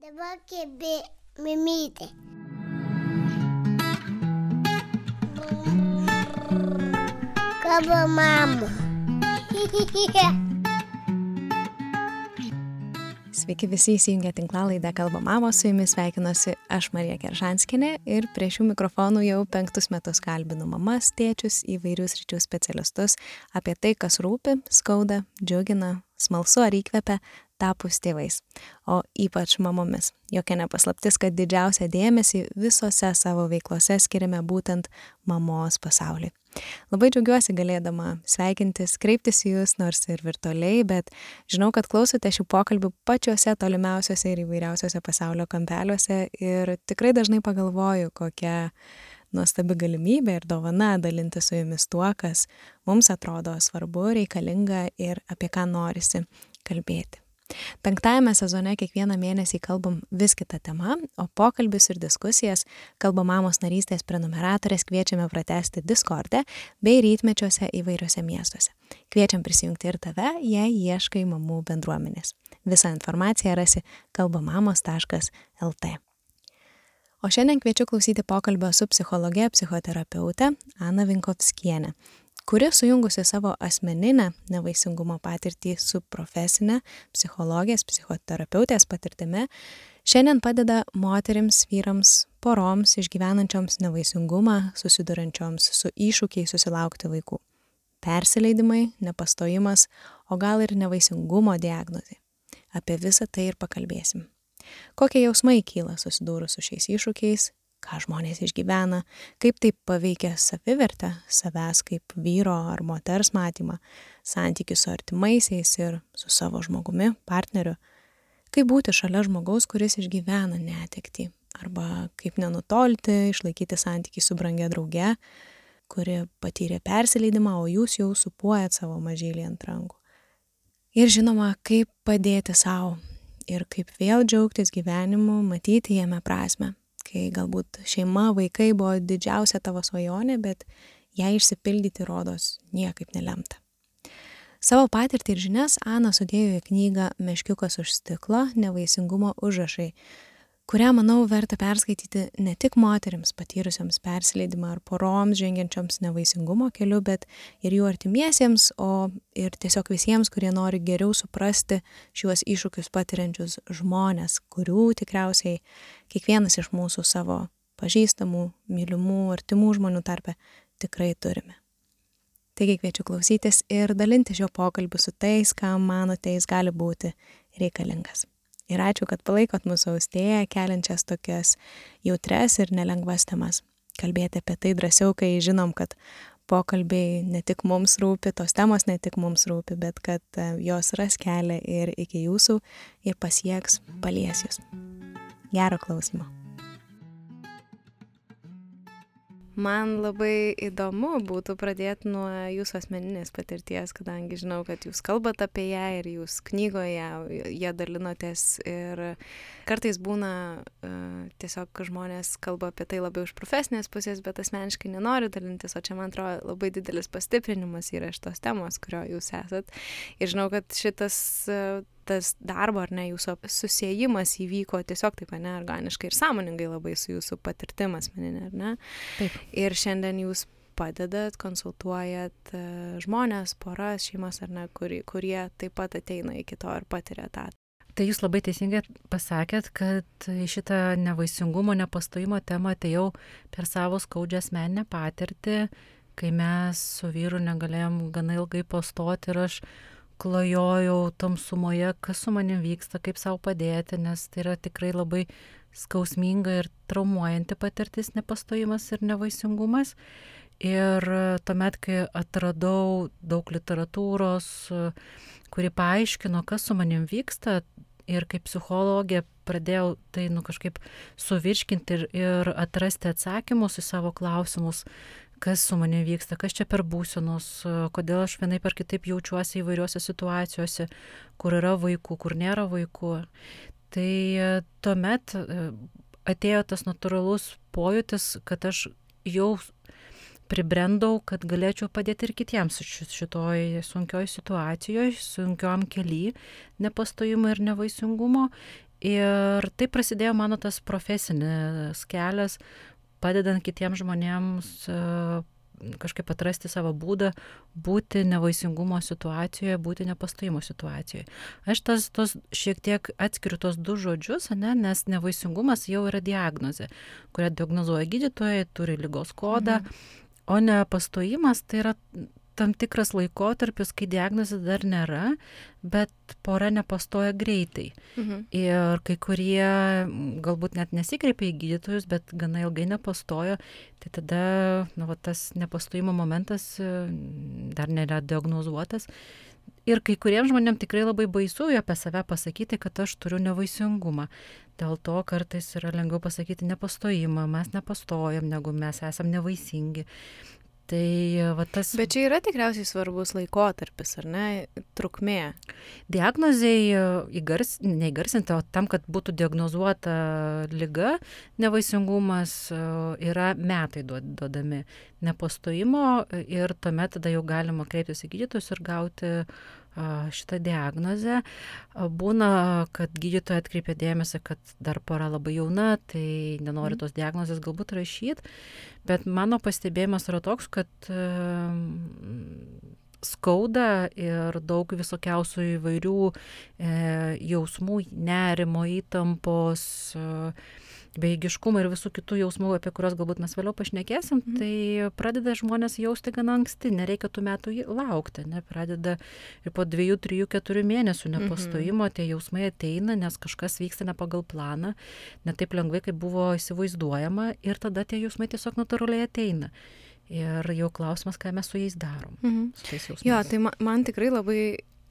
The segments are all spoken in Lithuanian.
Dabar kebė mimytė. Kalba mama. Sveiki visi įsijungę tinklalaidę Kalba mamos, su jumis sveikinuosi aš Marija Keržanskienė ir prie šių mikrofonų jau 5 metus kalbinu mamas, tėčius, įvairių sričių specialistus apie tai, kas rūpi, skauda, džiugina, smalsu ar įkvepia tapus tėvais, o ypač mamomis. Jokia nepaslaptis, kad didžiausią dėmesį visose savo veiklose skiriame būtent mamos pasauliui. Labai džiaugiuosi galėdama sveikintis, kreiptis į jūs, nors ir virtualiai, bet žinau, kad klausote šių pokalbių pačiuose tolimiausiuose ir įvairiausiuose pasaulio kampeliuose ir tikrai dažnai pagalvoju, kokia nuostabi galimybė ir dovana dalintis su jumis tuo, kas mums atrodo svarbu, reikalinga ir apie ką norisi kalbėti. 5 sezone kiekvieną mėnesį kalbam vis kitą temą, o pokalbius ir diskusijas Kalba mamos narystės prenumeratorės kviečiame pratęsti Discorde bei rytmečiuose įvairiuose miestuose. Kviečiam prisijungti ir tave, jei ieškai mamų bendruomenės. Visą informaciją rasi kalbamamos.lt. O šiandien kviečiu klausyti pokalbio su psichologe, psichoterapeute Ana Vinkovskienė, kuri sujungusi savo asmeninę nevaisingumo patirtį su profesinė psichologės, psichoterapeutės patirtimi, šiandien padeda moterims, vyrams, poroms išgyvenančioms nevaisingumą, susidurančioms su iššūkiais susilaukti vaikų. Persileidimai, nepastojimas, o gal ir nevaisingumo diagnozė. Apie visą tai ir pakalbėsim. Kokie jausmai kyla susidūrus su šiais iššūkiais, ką žmonės išgyvena, kaip tai paveikia savivertę, savęs kaip vyro ar moters matymą, santykių su artimaisiais ir su savo žmogumi, partneriu, kaip būti šalia žmogaus, kuris išgyvena netektį, arba kaip nenutolti, išlaikyti santykį su brangia drauge, kuri patyrė persileidimą, o jūs jau supuojat savo mažylį ant rankų. Ir žinoma, kaip padėti savo ir kaip vėl džiaugtis gyvenimu, matyti jame prasmę. Kai galbūt šeima, vaikai buvo didžiausia tavo svajonė, bet ją išsipildyti rodos niekaip nelemta. Savo patirtį ir žinias Ana sudėjo į knygą Meškiukas už stiklo, nevaisingumo užrašai, kurią, manau, verta perskaityti ne tik moterims patyrusioms persileidimą ar poroms žengiančioms nevaisingumo keliu, bet ir jų artimiesiems, o ir tiesiog visiems, kurie nori geriau suprasti šiuos iššūkius patiriančius žmonės, kurių tikriausiai kiekvienas iš mūsų savo pažįstamų, mylimų, artimų žmonių tarpe tikrai turime. Taigi kviečiu klausytis ir dalinti šio pokalbiu su tais, kam manote jis gali būti reikalingas. Ir ačiū, kad palaikot mūsų austėją, keliančias tokias jautres ir nelengvas temas. Kalbėti apie tai drąsiau, kai žinom, kad pokalbiai ne tik mums rūpi, tos temos ne tik mums rūpi, bet kad jos ras kelią ir iki jūsų ir pasieks, palies jūs. Gero klausymo. Man labai įdomu būtų pradėti nuo jūsų asmeninės patirties, kadangi žinau, kad jūs kalbat apie ją ir jūs knygoje ją dalinotės ir kartais būna tiesiog žmonės kalba apie tai labiau iš profesinės pusės, bet asmeniškai nenori dalintis, o čia man atrodo labai didelis pastiprinimas yra iš tos temos, kurio jūs esat. Ir žinau, kad tas darbo ar ne, jūsų susiejimas įvyko tiesiog taip, ne, organiškai ir sąmoningai labai su jūsų patirtim asmeninė, ar ne? Taip. Ir šiandien jūs padedat, konsultuojat žmonės, poras, šeimas, ar ne, kurie taip pat ateina iki to ir patiria tą. Tai jūs labai teisingai pasakėt, kad šitą nevaisingumo, nepastojimo temą atėjau per savo skaudžią asmeninę patirtį, kai mes su vyru negalėjom gana ilgai pastoti ir aš klajojau tamsumoje, kas su manim vyksta, kaip savo padėti, nes tai yra tikrai labai skausminga ir traumuojanti patirtis nepastojimas ir nevaisingumas. Ir tuomet, kai atradau daug literatūros, kuri paaiškino, kas su manim vyksta, ir kaip psichologė pradėjau tai kažkaip suvirškinti ir atrasti atsakymus į savo klausimus, kas su manim vyksta, kas čia per būsenos, kodėl aš vienaip ar kitaip jaučiuosi įvairiuose situacijose, kur yra vaikų, kur nėra vaikų. Tai tuomet atėjo tas natūralus pojūtis, kad aš jau pribrendau, kad galėčiau padėti ir kitiems šitoj sunkioj situacijoje, sunkiom kely nepastojimo ir nevaisingumo. Ir tai prasidėjo mano tas profesinis kelias, padedant kitiems žmonėms kažkaip atrasti savo būdą būti nevaisingumo situacijoje, būti nepastojimo situacijoje. Aš tos šiek tiek atskiriu tos du žodžius, nes nevaisingumas jau yra diagnozė, kurią diagnozuoja gydytojai, turi ligos kodą, o nepastojimas tai yra tam tikras laikotarpis, kai diagnozė dar nėra, bet pora nepastoja greitai. Ir kai kurie galbūt net nesikreipia į gydytojus, bet gana ilgai nepastojo, tai tada tas nepastojimo momentas dar nėra diagnozuotas. Ir kai kuriems žmonėms tikrai labai baisu apie save pasakyti, kad aš turiu nevaisingumą. Dėl to kartais yra lengviau pasakyti nepastojimą, mes nepastojam, negu mes esam nevaisingi. Tai tas... Bet čia yra tikriausiai svarbus laikotarpis, ar ne, trukmė? Diagnozei neįgarsinti, o tam, kad būtų diagnozuota liga, nevaisingumas, yra metai duodami nepastojimo ir tuomet tada jau galima kreiptis į gydytojus ir gauti šitą diagnozę. Būna, kad gydytoja atkreipia dėmesį, kad dar pora labai jauna, tai nenori tos diagnozės galbūt rašyti, bet mano pastebėjimas yra toks, kad skauda ir daug visokiausių įvairių jausmų, nerimo, įtampos, bejėgiškumo ir visų kitų jausmų, apie kuriuos galbūt mes vėliau pašnekėsim, tai pradeda žmonės jausti gana anksti, nereikia tų metų laukti, pradeda ir po 2, 3, 4 mėnesių nepastojimo tie jausmai ateina, nes kažkas vyksta ne pagal planą, ne taip lengvai, kaip buvo įsivaizduojama, ir tada tie jausmai tiesiog natūraliai ateina. Ir jau klausimas, ką mes su jais darom. Su tais jausmais. Jo, tai man tikrai labai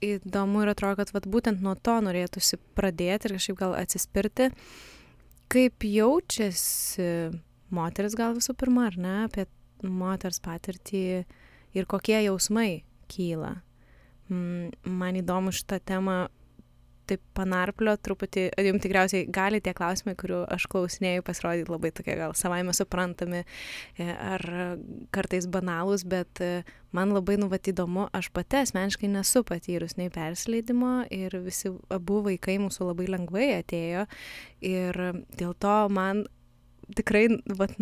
įdomu ir atrodo, kad būtent nuo to norėtųsi pradėti ir kažkaip gal atsispirti. Kaip jaučiasi moteris gal visų pirma, ar ne, apie moters patirtį ir kokie jausmai kyla. Man įdomu šitą temą taip panarplio truputį, jums tikriausiai gali tie klausimai, kurių aš klausinėjau, pasirodyti labai tokie gal savaime suprantami ar kartais banalūs, bet man labai įdomu, aš pati asmeniškai nesu patyrus nei persileidimo ir visi abu vaikai mūsų labai lengvai atėjo ir dėl to man tikrai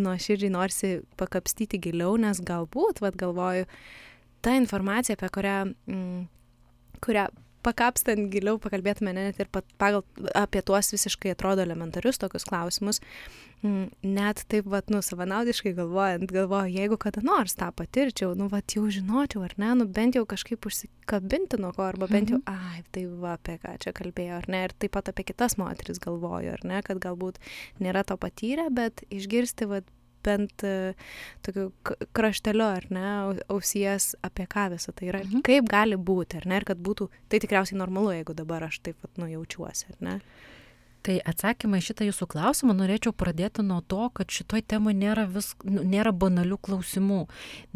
nuoširdžiai norisi pakapstyti giliau, nes galbūt, galvoju, ta informacija, apie kurią pakapstant giliau pakalbėtume net ir apie tuos visiškai atrodo elementarius tokius klausimus, net taip savanaudiškai galvoju, jeigu kada nors tą patirčiau, jau žinočiau, ar ne, bent jau kažkaip užsikabinti nuo ko, arba bent jau, tai apie ką čia kalbėjo, ar ne, ir taip pat apie kitas moteris galvoju, ar ne, kad galbūt nėra to patyrę, bet išgirsti, bent tokiu krašteliu, ar ne, ausies, apie ką visą tai yra, kaip gali būti, ar ne, ir kad būtų, tai tikriausiai normalu, jeigu dabar aš taip jaučiuosi, ar ne? Tai atsakymą į šitą jūsų klausimą norėčiau pradėti nuo to, kad šitoj temai nėra banalių klausimų,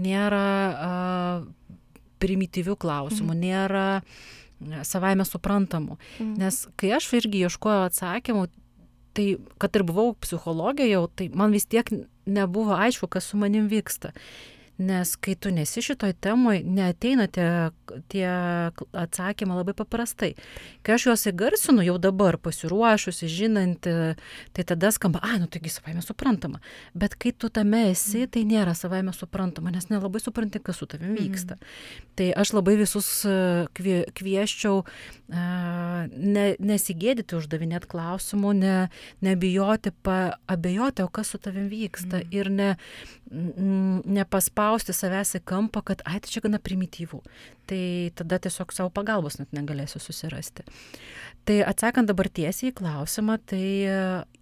nėra primityvių klausimų, nėra savaime suprantamų. Nes kai aš irgi ieškojau atsakymų, tai, kad ir buvau psichologė jau, tai man vis tiek nebuvo aišku, kas su manim vyksta. Nes kai tu nesi šitoj temoj, neateina tie atsakymai labai paprastai. Kai aš juos įgarsinu jau dabar, pasiruošusi, žinanti, tai tada skamba, taigi savaime suprantama. Bet kai tu tame esi, tai nėra savaime suprantama, nes nelabai supranti, kas su tavim vyksta. Tai aš labai visus kvieščiau nesigėdyti uždavinėti klausimų, nebijoti, abejoti, o kas su tavim vyksta ir nepaspausti savęs į kampą, kad tai čia gana primityvų. Tai tada tiesiog savo pagalbos net negalėsiu susirasti. Tai atsakant dabar tiesiai į klausimą, tai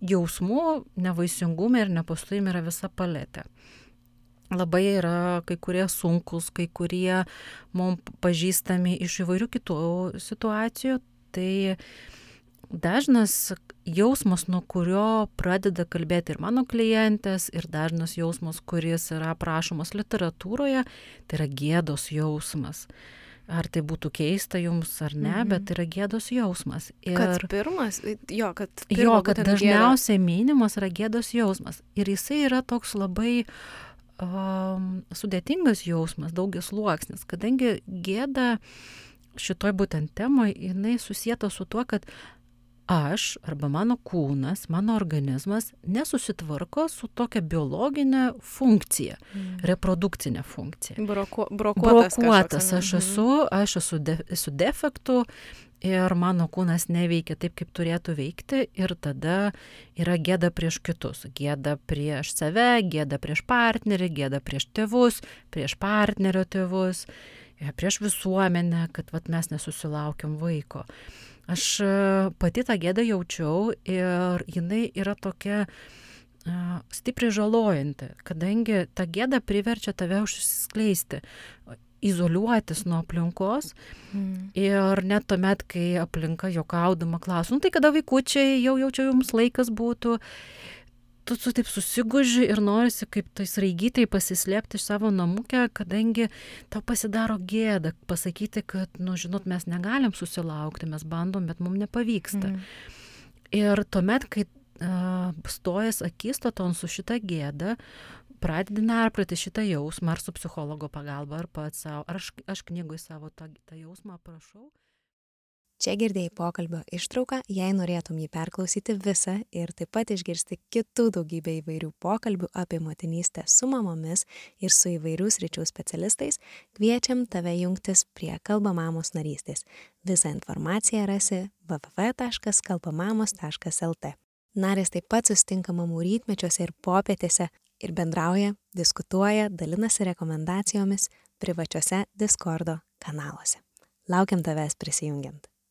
jausmų, nevaisingume ir nepastojime yra visa paletė. Labai yra kai kurie sunkus, kai kurie mums pažįstami iš įvairių kitų situacijų. Tai dažnas jausmas, nuo kurio pradeda kalbėti ir mano klientės, ir dažnas jausmas, kuris yra aprašomas literatūroje, tai yra gėdos jausmas. Ar tai būtų keista jums ar ne, bet tai yra gėdos jausmas. Ir kad pirmas, kad dažniausiai minimas yra gėdos jausmas. Ir jisai yra toks labai sudėtingas jausmas, daugiasluoksnis, kadangi gėda šitoj būtent temoj, jinai susieta su tuo, kad aš arba mano kūnas, mano organizmas nesusitvarko su tokia biologinė funkcija, reprodukcinė funkcija. Brokuotas aš esu defektų ir mano kūnas neveikia taip, kaip turėtų veikti ir tada yra gėda prieš kitus. Gėda prieš save, gėda prieš partnerį, gėda prieš tėvus, prieš partnerio tėvus, prieš visuomenę, kad mes nesusilaukiam vaiko. Aš pati tą gėdą jaučiau ir jinai yra tokia stipriai žalojanti, kadangi ta gėda priverčia tave užsiskleisti, izoliuotis nuo aplinkos ir net tuomet, kai aplinka juokaudama klausia, tai kada vaikučiai, jau čia jums laikas būtų, tu taip susiguži ir norisi kaip tai sraigytai pasislėpti iš savo namukę, kadangi tau pasidaro gėda pasakyti, kad, žinot, mes negalim susilaukti, mes bandom, bet mums nepavyksta. Ir tuomet, kai stojas akistaton su šita gėda, pradedi narplioti šitą jausmą, ar su psichologo pagalba, ar pats savo, ar aš knygui savo tą jausmą aprašau. Čia girdėjai pokalbio ištrauką, jei norėtum jį perklausyti visą ir taip pat išgirsti kitų daugybę įvairių pokalbių apie motinystę su mamomis ir su įvairių sričių specialistais, kviečiam tave jungtis prie Kalba mamos narystės. Visą informaciją rasi www.kalbamamos.lt. Narės taip pat susitinka mamų rytmečiuose ir popietėse ir bendrauja, diskutuoja, dalinasi rekomendacijomis privačiuose Discordo kanaluose. Laukiam tavęs prisijungiant.